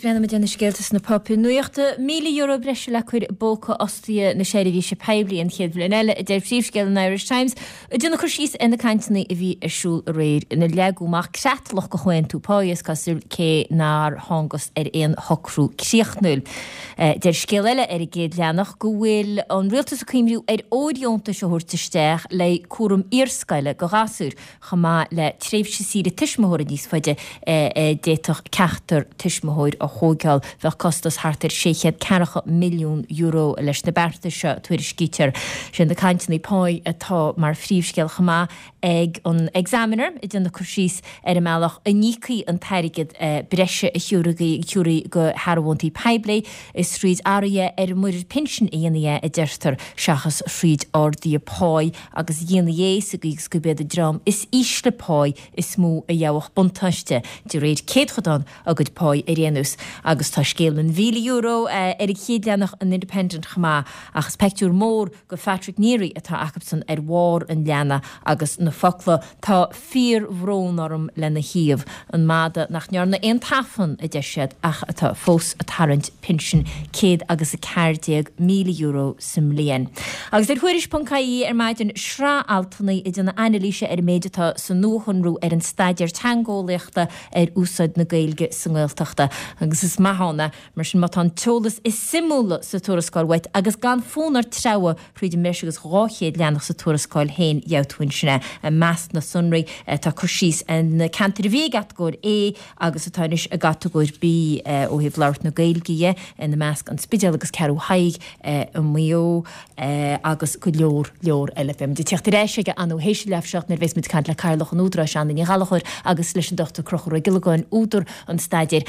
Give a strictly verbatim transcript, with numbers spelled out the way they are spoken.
breathnóidh muid ar na scéalta sna páipéir nuachta. Míle euro breise le cur i bpóca fhostaithe na seirbhíse poiblí an chéad bhliain eile, a deir príomhscéal an Irish Times. Ag déanamh cur síos ar na cainteanna a bhí ar siúl aréir ina leagadh amach creatlach do chomhaontú páí is cosúil cé nár thángthas ar aon shocrú críochnúil. Deir scéal eile ar an gcéad leathanach go bhfuil an rialtas ag cuimhniú ar fhóirdheontais a thabhairt isteach le cúram iarscoile do ghasúir chomh maith le tréimhse saoire tuismitheora níos faide a d'fhéadfadh ceachtar tuismitheoir a thógáil. Bheadh costas thart ar sé chéad ceathracha milliún euro leis na bearta seo, tuairiscítear. Sé na cainteanna páí atá mar phríomhscéal chomh maith ag an Examiner, ag déanamh cur síos ar an mbealach a n-íocfaí an t-airgead breise a thabharfaí do shearbhóntaí poiblí. Is thríd athruithe ar an muirear pinsin a dhéanfaí é, a deirtear, seachas thríd arduithe páí, agus dhéanfaí é sa gcaoi is gurb iad an dream is ísle páí is mó a gheobhadh buntáiste, de réir céadchodán a gcuid páí ar aon nós. Agus tá scéal an mhíle euro ar an chéad leathanach an Independent chomh maith, ach is peictiúr mór de Phatrick Neary atá acusan ar bharr an leathanaigh agus na focla 'Tá fíorbhrón orm' lena thaobh. An madadh nach ndearna aon tafann, a deir siad, ach atá fós ag tarraingt pinsin céad agus a ceathair déag míle euro sa mbliain. Agus ar Thuairisc ponc ie ar maidin, sraith altanna ag déanamh anailíse ar an méid atá sa nuashonrú ar an staidéar teangeolaíochta ar úsáid na Gaeilge sa nGaeltachta. Agus is maith ann é, mar sin, má tá an t-eolas is suimiúla sa tuarascáil uait agus gan fonn ort treabhadh thríd an mbreis agus dhá chéad leathanach sa tuarascáil féin, gheobhaidh tú ansin é. I measc na sonraí tá cur síos ar na ceantair a bhí i gcatagóir A agus atá anois i gcatagóir B ó thaobh labhairt na Gaeilge dhe, ina measc An Spidéal agus Ceathrú Thaidhg i Maigh Eo agus go leor leor eile. Beidh muid ag tíocht ar ais aige ar ndóigh théis a leath seacht nuair a bheas muid ag caint le Cathaoirleach an Údaráis, Anna Ní Ghallchóir agus leis an Dochtúir Conchúr Ó Giollagáin, údar an staidéir.